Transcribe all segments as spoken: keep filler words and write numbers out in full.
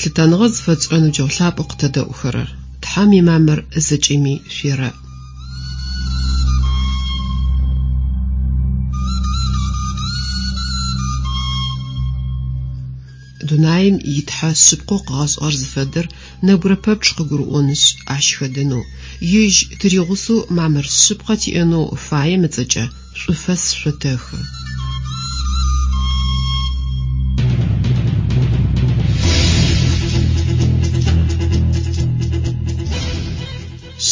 Лъытэныгъэ зыфэтшӏырэ ныбджэгъу лъапӏэу къытэдэӏухэрэр, Тхьэм имамыр зэкӏэми шъуерэӏ. Дунаим итхьэ шъыпкъэу къыгъэшӏыгъэр зыфэдэр нэбгырэ пэпчъ къыгурыӏонышъ, ащ хэдэнэу, ежь тыригъусэу мамыр шъыпкъэ тиӏэнэу фаем ыцӏэкӏэ шӏуфэс шъотэхы.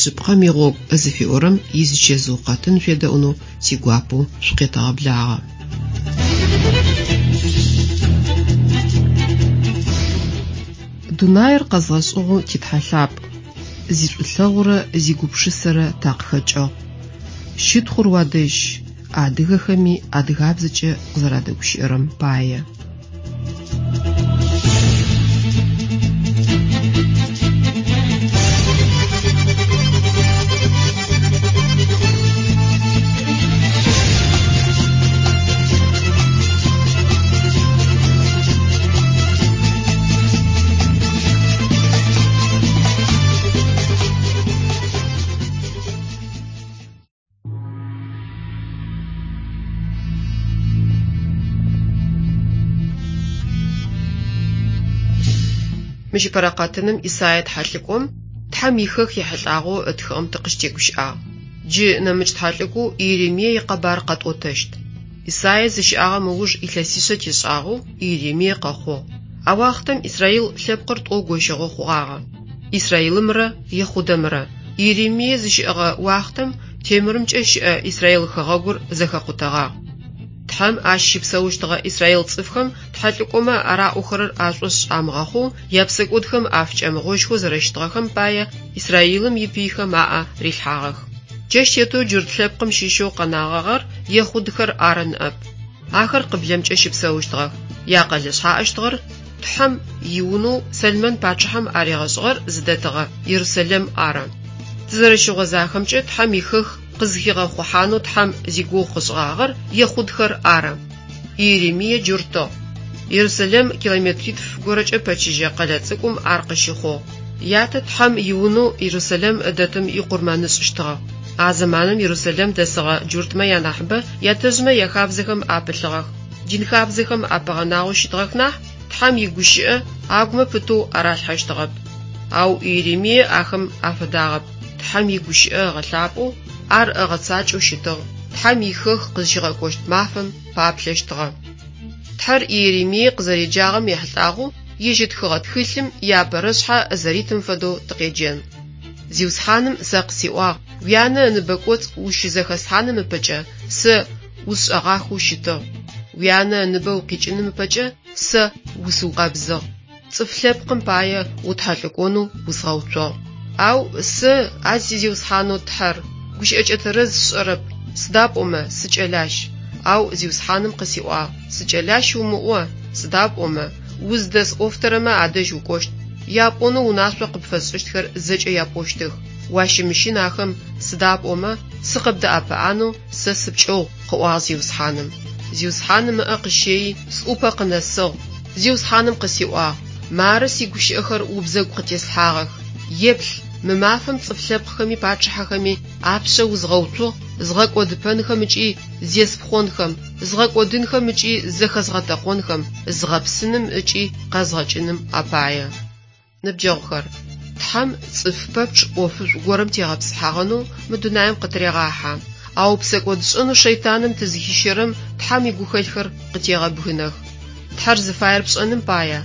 Шъыпкъэм игъогу зыфиӏорэм изычэзыу къэтын шъуедэӏунэу тигуапэу шъукъетэгъэблагъэ. Дунаир къэзгъэшӏыгъэу титхьэ лъапӏ, зишӏулъэгъурэ зигупшысэрэ такъыхэкӏыгъ. Щытхъур уадэжь, адыгэхэми адыгабзэкӏэ къызэрадэгущыӏэрэм пае. Мыщ ыпэрэ къэтыным Исае тхьэлӏыкӏом Тхьэм ихэх ехьылӏагъэу ытхыгъэм тыкъыщытегущыӏагъ. Джы нэмыкӏ тхьэлӏыкӏоу Иеремие икъэбар къэтӏотэщт. Исае зыщыӏагъэм ыуж илъэсишъэ тешӏагъэу Иеремие къэхъугъ. А уахътэм Исраил лъэпкъыр тӏо гощыгъэ хъугъагъэ: Исраилымрэ Ехъудэмрэ. Иеремие зыщыӏэгъэ уахътэм темырымкӏэ щыӏэ Исраил хэгъэгур зэхэкъутэгъагъ. Тхьэм ащ щыпсэущтыгъэ Исраил цӏыфхэм тхьэлӏыкӏомэ араӏохэрэр ашӏошъ амыгъэхъоу, япсэкӏодхэм афыкӏэмыгъожьхэу зэрэщытыгъэхэм пае Исраилым ипыйхэм аӏэ рилъхьагъэх. Джащ тетэу джурт лъэпкъым щыщэу къэнагъагъэр ехъудхэр ары ныӏэп. Ахэр къыблэмкӏэ щыпсэущтыгъэх. Якъэлэ шъхьаӏэщтыгъэр Тхьэм иунэу Сэлмэн пачъыхьэм аригъэшӏыгъэр зыдэтыгъэ Ерусэлэм ары. Тызэрэщыгъозахэмкӏэ Тхьэм ихэх къызхигъэхъухьанэу Тхьэм зигугъу къышӏыгъагъэр ехъудхэр ары. Иеремие джуртыгъ. Ерусэлэм километритф горэкӏэ пэчыжьэ къэлэ цӏыкӏум ар къыщыхъугъ. Ятэ Тхьэм иунэу Ерусэлэм дэтым икъурмэнышӏыщтыгъэ. А зэманым Ерусэлэм дэсыгъэ джуртмэ янахьыбэ ятэжъмэ яхабзэхэм апылъыгъэх. Дин хабзэхэм апэгъэнагъэу щытыгъэх нахь, Тхьэм игущыӏэ агумэ пытэу аралъхьэщтыгъэп. Ау Иеремие ахэм афэдагъэп. Тхьэм игущыӏэ ыгъэлъапӏэу, ар ыгъэцакӏэу щытыгъ. Тхьэм ихэх къызщигъэкӏощт мафэм паплъэщтыгъэ. Тхьэр Иеремие къызэреджагъэм ехьылӏагъэу ежь ытхыгъэ тхылъым иапэрэ шъхьэ зэритым фэдэу тыкъеджэн. Зиусхьаным сэ къысиӏуагъ: уянэ ыныбэ кӏоцӏ ущызэхэслъхьаным ыпэкӏэ сэ усшӏэгъахэу щытыгъ. Уянэ ыныбэ укъикӏыным ыпэкӏэ сэ усыукъэбзыгъ. Цӏыф лъэпкъым пае утхьэлӏыкӏонэу узгъэуцугъ. Ау сэ, а си Зиусхьанэу Тхьэр, гущыӏэкӏэ тэрэз сшӏэрэп, сыда пӏомэ сыкӏэлащ. Ау Зиусхьаным къысиӏуагъ: сыкӏэлащ умыӏо, сыда пӏомэ уздэсӏофтэрэмэ адэжь укӏощт. Япӏонэу унашъо къыпфэсшӏыщтхэр зэкӏэ япӏощтых. Уащымыщын ахэм, сыда пӏомэ сыкъыбдэӏэпыӏанэу сэ сыпкӏыгъу, къыӏуагъ Зиусхьаным. Зиусхьаным ыӏэ къыщэи сӏупэ къынэсыгъ. Зиусхьаным къысиӏуагъ: мары сигущыӏэхэр убзэгу къытеслъхьагъэх. Еплъ, мы мафэм цӏыф лъэпкъхэми пачъыхьэхэми апшъэ узгъэуцугъ, згъэкӏодыпэнхэм ыкӏи зеспхъонхэм, згъэкӏодынхэм ыкӏи зэхэзгъэтэкъонхэм, згъэпсыным ыкӏи къэзгъэкӏыным апае. Ныбджэгъухэр, Тхьэм цӏыф пэпчъ ӏофышӏу горэм тегъэпсыхьагъэнэу мы дунаим къытырегъахьэ. Ау псэкӏодшӏэнэу шэйтаным тызыхищэрэм Тхьэм игухэлъхэр къытегъэбгынэх. Тхьэр зыфаер пшӏэным пае,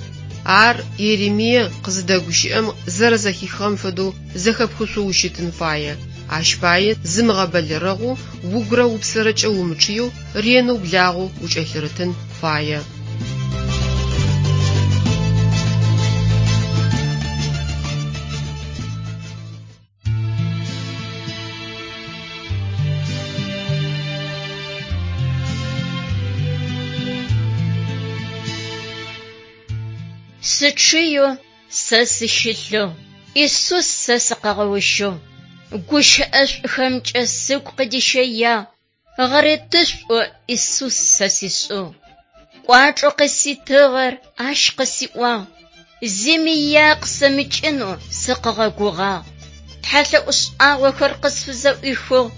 ар Иеремие къызыдэгущыӏэм зэрэзэхихыгъэм фэдэу зэхэпхышъоу ущытын фае. Ащ пае зымыгъэбэлэрэгъоу, угурэ упсэрэкӏэ умычъыеу, ренэу благъэу укӏэлъырытын фае. Сычъыеу сэ сыщылъэу, Исус сэ сыкъэгъэущыгъ. Гущыӏэшӏухэмкӏэ сыгу къыдищэягъ, гъэретышӏу Исус сэ сишӏыгъ. Кӏуачӏэу къыситыгъэр ащ къысиӏуагъ, Зыми ия къысэмыкӏынэу сыкъыгъэгугъагъ. Тхьэлъэӏу шӏагъохэр къысфызэӏуихыгъ.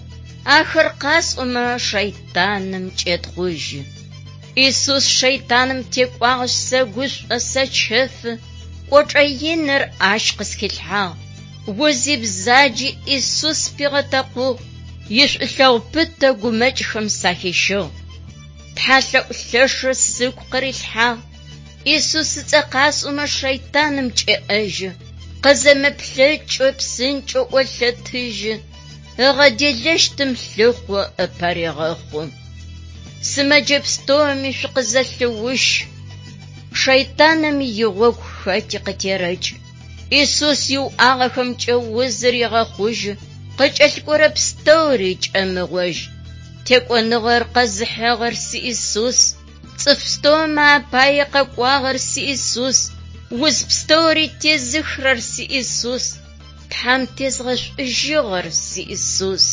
Ахэр къасӏомэ шэйтаным кӏетхъужьы. Исус шэйтаным текӏуагъэшъ сэгушӏо, сэчэфы. Кӏочӏэ иныр ащ къысхилъхьагъ. Узи бзаджи Исус пигъэтэкъугъ. Ишӏулъэгъу пытэ гумэкӏхэм сахищыгъ. Тхьэлъэӏу лъэшыр сыгу къырилъхьагъ. Исус ыцӏэ къасӏомэ шэйтаным кӏеӏэжьы. Къызэмыплъэкӏэу псынкӏэу ӏолъэтыжьы. Ыгъэделэщтым лъыхъо ыпэ регъэхъу. Сымэджэ пстэуми шъукъызэлъыущ. Шэйтаным игъогу хэти къытерэкӏ. Исус иуӏагъэхэмкӏэ узыр егъэхъужьы. Къыкӏэлъыкӏорэ пстэури кӏэмыгъожь. Текӏоныгъэр къэзыхьыгъэр си Исус. Цӏыф пстэумэ апае къэкӏуагъэр си Исус. Уз пстэури тезыхырэр си Исус. Тхьэм тезгъэшӏужьыгъэр си Исус.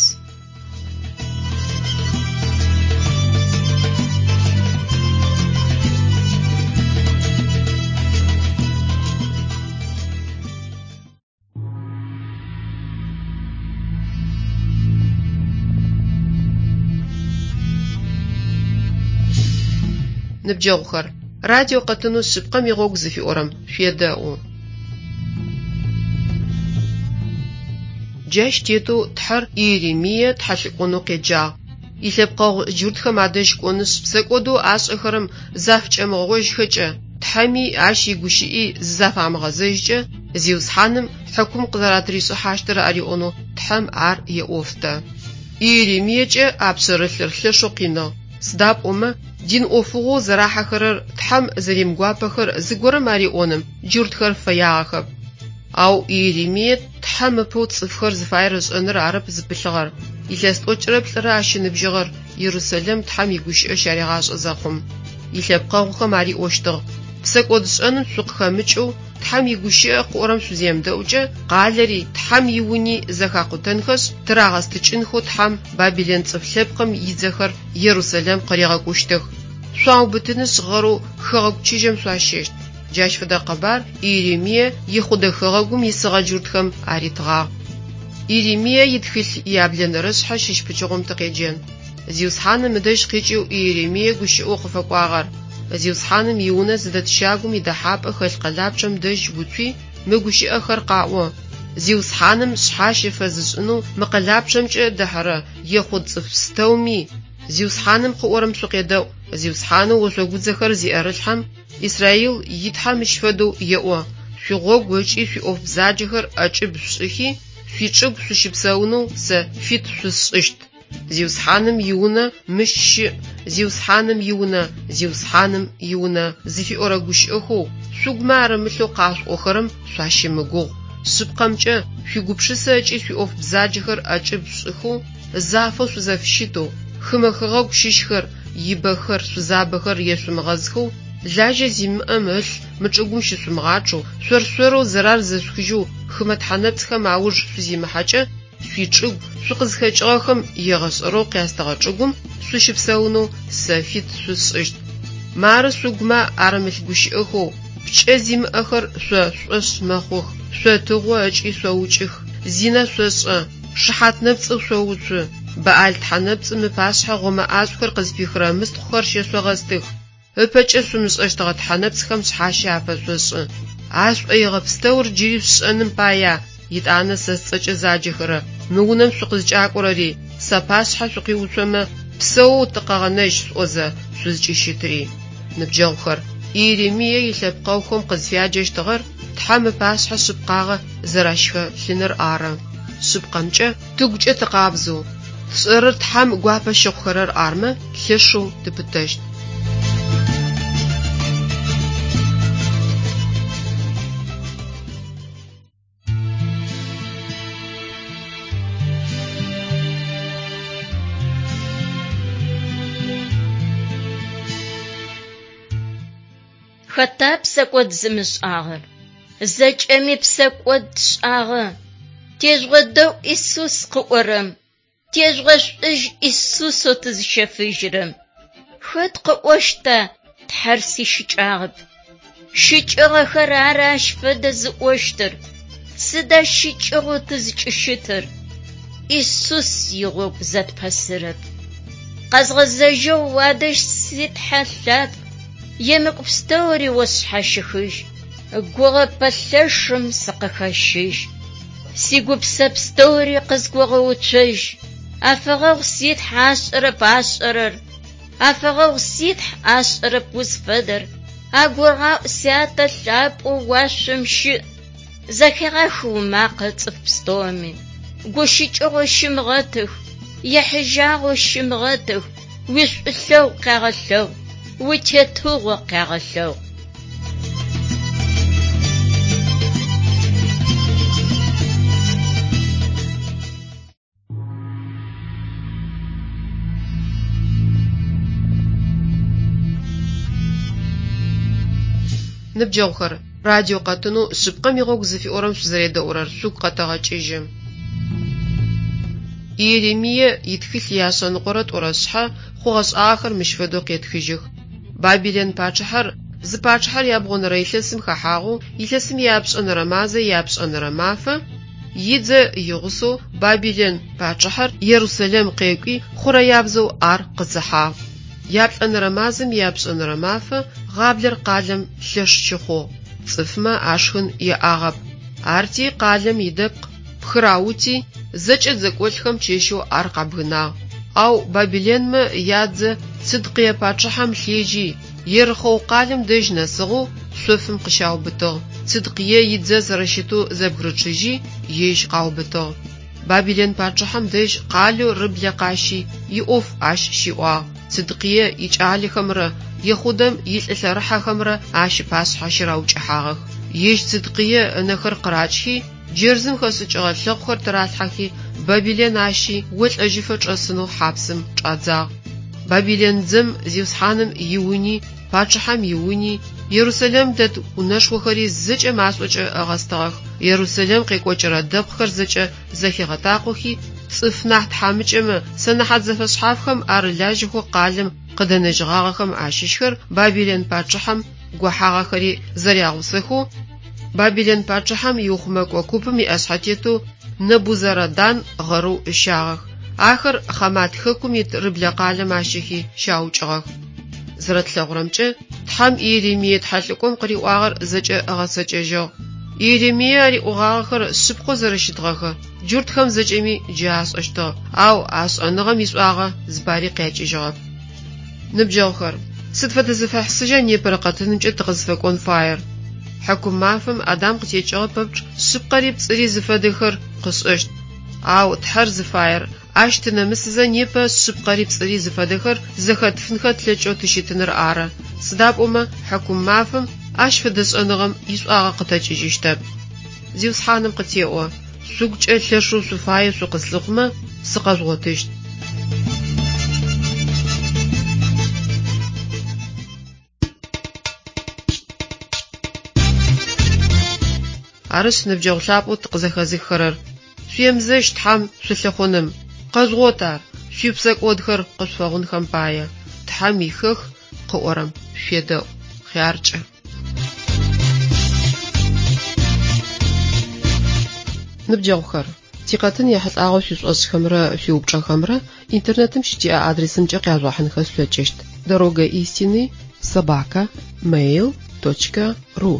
Ныбджэгъухэр, радио къэтынэу шъыпкъэм игъогу зыфиӏорэм шъуедэӏу. Джащ тетэу Тхьэр Иеремие тхьэлӏыкӏонэу къеджагъ. Илъэпкъэгъу джуртхэм адэжь кӏонышъ, псэкӏодэу ашӏэхэрэм зафыкӏэмыгъожьхэкӏэ, Тхьэми ащ игущыӏи зызафамыгъэзэжькӏэ, Зиусхьаным хьыкум къызэратришӏыхьащтыр ариӏонэу Тхьэм ар еӏофтэ. Иеремиекӏэ а пшъэрылъыр лъэшэу къиныгъ. Сыда пӏомэ дин ӏофыгъоу зэрахьэхэрэр Тхьэм зэримыгуапэхэр зыгорэм ариӏоным джуртхэр фэягъэхэп. Ау Иеремие Тхьэм ыпэу цӏыфхэр зыфаер ышӏэныр арэп зыпылъыгъэр. Илъэс тӏокӏырэ плӏырэ ащ ыныбжьыгъэр Иерусалим Тхьэм игущыӏэ щаригъашӏэ зэхъум. Илъэпкъэгъухэм ариӏощтыгъ: «Псэкӏодшӏэным шъукъыхэмыкӏэу Тхьэм игущыӏэ къыӏорэм шъуземыдэӏукӏэ, къалэри Тхьэм иуни зэхакъутэнхэшъ, тырагъэстыкӏынхэу Тхьэм Бабилэн цӏыф лъэпкъым идзэхэр Иерусалим къыригъэкӏущтых. Шъуаубытынышъ гъэрэу хэгъэгу чыжьэм шъуащэщт». Джащ фэдэ къэбар Иеремие Ехъудэ хэгъэгум исыгъэ джуртхэм аритыгъагъ. Иеремие итхылъ яблэнэрэ шъхьэ щыщ пычыгъом тыкъеджэн. Зиусхьаным ыдэжь къикӏэу Иеремие гущыӏэу къыфэкӏуагъэр. Зиусхьаным иунэ зыдэт щагум идэхьапӏэ хэлъ къэлапчъэм дэжь уцуи, мы гущыӏэхэр къаӏо. Зиусхьаным шъхьащэ фэзышӏынэу мы къэлапчъэмкӏэ дэхьэрэ ехъуд цӏыф пстэуми Зиусхьаным къыӏорэм шъукъедэӏу. Зиусхьанэу ошъогудзэхэр зиӏэрылъхьэм Израил и Тхьэ мыщ фэдэу еӏо: шъуигъогу ыкӏи шъуиӏоф бзаджэхэр ӏэкӏыб шъушӏыхи, шъуичӏыгу шъущыпсэунэу сэ фит шъусшӏыщт. Зиусхьаным иунэ мыщ щыӏ, Зиусхьаным иунэ, Зиусхьаным иунэ зыфиӏорэ гущыӏэхэу шъугумэ арымылъэу къашъуӏохэрэм шъуащымыгугъ. Шъыпкъэмкӏэ шъуигупшысэ ыкӏи шъуиӏоф бзаджэхэр ӏэкӏыб шъушӏыхэу, зафэу шъузэфыщытэу, хымэ хэгъэгу щыщхэр, ибэхэр, шъузабэхэр ешъумыгъэзхэу, лажьэ зимыӏэм ылъ мы чӏыгум щышъумыгъачъэу, шъор-шъорэу зэрар зэшъухыжьэу хымэ тхьэнэпцӏхэм ауж шъузимыхьэкӏэ, шъуичӏыгу, шъукъызхэкӏыгъэхэм егъэшӏэрэу къястыгъэ чӏыгум шъущыпсэунэу сэ фит шъусшӏыщт. Мары шъугумэ арымылъ гущыӏэхэу пкӏэ зимыӏэхэр шъо шъушӏошъ мэхъух, шъотыгъо ыкӏи шъоукӏых, зинэ шъошӏэ, шыхьат нэпцӏэу шъоуцу, Баал тхьэнэпцӏым ыпашъхьэ гъомэ ӏашӏухэр къызпихырэ мыстхъухэр щэшъогъэстых. Ыпэкӏэ шъумышӏэщтыгъэ тхьэнэпцӏхэм шъхьащэ афэшъошӏы. А шӏоигъэ пстэур джыри шъушӏэным пая, итӏанэ сэ сцӏэкӏэ заджэхэрэ мы унэм шъукъызкӏакӏорэри, сапашъхьэ шъукъиуцомэ, псэоу тыкъэгъэнэжь шъуӏозэ шъузкӏыщытри. Ныбджэгъухэр, Иеремие илъэпкъэгъухэм къызфяджэщтыгъэр Тхьэм ыпашъхьэ шъыпкъагъэ зэращыхэлъыныр ары. Шъыпкъэмкӏэ тыгукӏэ тыкъабзэу, тшӏэрэр Тхьэм гуапэ щыхъухэрэр армэ, лъэшэу тыпытэщт. Хэта псэкӏод зымышӏагъэр? Зэкӏэми псэкӏод тшӏагъэ. Тежъугъэдэӏу Исус къыӏорэм. Тежъугъэшӏужь Исусэу тызыщэфыжьырэм. Хэт къыӏощта Тхьэр сищыкӏагъэп? Щыкӏыгъэхэр ары ащ фэдэ зыӏощтыр. Сыда щыкӏыгъэу тызкӏыщытыр? Исус игъогу зэтпэсырэп. Къэзгъэзэжьэу уадэжь си Тхьэ лъапӏ, емыкӏу пстэури о сшъхьащыхыжь, гугъэпӏэ лъэшым сыкъыхэщыжь. Сигупсэ пстэури къызгогъэуцожь, афэгъэгъу си Тхьэ ашӏэрэп ашӏэрэр, афэгъэгъу си Тхьэ ашӏэрэп узфэдэр, агурыгъаӏу сятэ лъапӏэу уашъом щыӏ, зэхегъэх умакъэ цӏыф пстэуми, гущыкӏыгъэу щымыгъэтых, ехьыжьагъэу щымыгъэтых, уишӏулъэгъу къягъэлъэгъу, уитетыгъо къягъэлъэгъу. Ныбджэгъухэр, радио къэтынэу «Шъыпкъэм игъогу» зыфиӏорэм шъузэредэӏурэр шъугу къэтэгъэкӏыжьы. Иеремие итхылъ ияшъэныкъорэ тӏурэ шъхьэ хъугъэ-шӏагъэхэр мыщ фэдэу къетхыжьых: Бабилэн пачъыхьэр зы пачъыхьэр ябгъонэрэ илъэсым хэхьагъэу, илъэсым ияпшӏэнэрэ мазэ ияпшӏэнэрэ мафэ идзэ игъусэу Бабилэн пачъыхьэр Ерусэлэм къекӏуи хъурэябзэу ар къыдзыхьагъ. Яплӏэнэрэ мазэм ияпшӏэнэрэ мафэ гъаблэр къалэм лъэш щыхъугъ, цӏыфмэ ашхын яӏагъэп. Арти къалэм идэпкъ пхыраути, зэкӏэ дзэкӏолӏхэм чэщэу ар къабгынагъ. Ау Бабилэнмэ ядзэ Цыдкъые пачъыхьэм лъежьи, Ерыхъэу къалэм дэжь нэсыгъэу шъофым къыщаубытыгъ. Цыдкъые идзэ зэрэщытэу зэбгырычъыжьи, ежь къаубытыгъ. Бабилэн пачъыхьэм дэжь къалэу Рыблэ къащи, иӏоф ащ щиӏуагъ. Цыдкъые икӏалэхэмрэ Ехъудэм илӏы лъэрыхьэхэмрэ ащ ыпашъхьэ щыраукӏыхьагъэх. Ежь Цыдкъые ынэхэр къырачхи, джэрзым хэшӏыкӏыгъэ лъэхъухэр тыралъхьэхи, Бабилэн ащи олӏэжьыфэ чӏэсынэу хьапсым чӏадзагъ. Бабилэн дзэм Зиусхьаным иуни, пачъыхьэм иуни, Ерусэлэм дэт унэшхохэри зэкӏэ машӏокӏэ ыгъэстыгъэх. Ерусэлэм къекӏокӏырэ дэпкъхэр зэкӏэ зэхигъэтакъохи, цӏыф нахь тхьамыкӏэмэ, сэнэхьат зэфэшъхьафхэм арылажьэхэу къалэм къыдэнэжьыгъагъэхэм ащыщхэр Бабилэн пачъыхьэм гохьагъэхэри зэрягъусэхэу, Бабилэн пачъыхьэм иухъумэкӏо купым иӏэшъхьэтетэу Нэбузарадан гъэрэу ыщагъэх. Ахэр Хъамат хэкум ит Рыблэ къалэм ащэхи щаукӏыгъэх. Зэрэтлъэгъурэмкӏэ, Тхьэм Иеремие тхьэлӏыкӏом къыриӏуагъэр зэкӏэ ыгъэцэкӏэжьыгъ. Иеремие ариӏогъагъэхэр шъыпкъэу зэрэщытыгъэхэр джуртхэм зэкӏэми джы ашӏэщтыгъ, ау а шӏэныгъэм ишӏуагъэ зыпари къякӏыжьыгъэп. Ныбджэгъухэр, сыд фэдэ зэфэхьысыжьа непэрэ къэтынымкӏэ тыкъызфэкӏон фаер? Хьыкум мафэм Адам къытекӏыгъэ пэпчъ шъыпкъэри пцӏыри зыфэдэхэр къышӏэщт. Ау Тхьэр зыфаер, ащ тынэмысызэ непэ шъыпкъэри пцӏыри зыфэдэхэр зэхэтфынхэ тлъэкӏэу тыщытыныр ары. Сыда пӏомэ хьыкум мафэм ащ фэдэ шӏэныгъэм ишӏуагъэ къытэкӏыжьыщтэп. Зиусхьаным къытеӏо: шъугукӏэ лъэшэу шъуфаеу шъукъыслъыхъумэ, сыкъэжъугъотыщт. Арышъ, ныбджэгъу лъапӏэу тыкъызэхэзыххэрэр, шъуемызэщ Тхьэм шъулъыхъуным, къэжъугъот ар, шъуипсэкӏодхэр къышъуфэгъунхэм пае. Тхьэм ихэх къыӏорэм шъуедэӏу. Хъяркӏэ. Ныбджэгъухэр, тикъэтын ехьылӏагъэу шъуишӏошӏхэмрэ шъуиупчӏэхэмрэ интернетым щытиӏэ адресымкӏэ къяжъугъэхьынхэ шъулъэкӏыщт: дорога истины собака mail точка ру.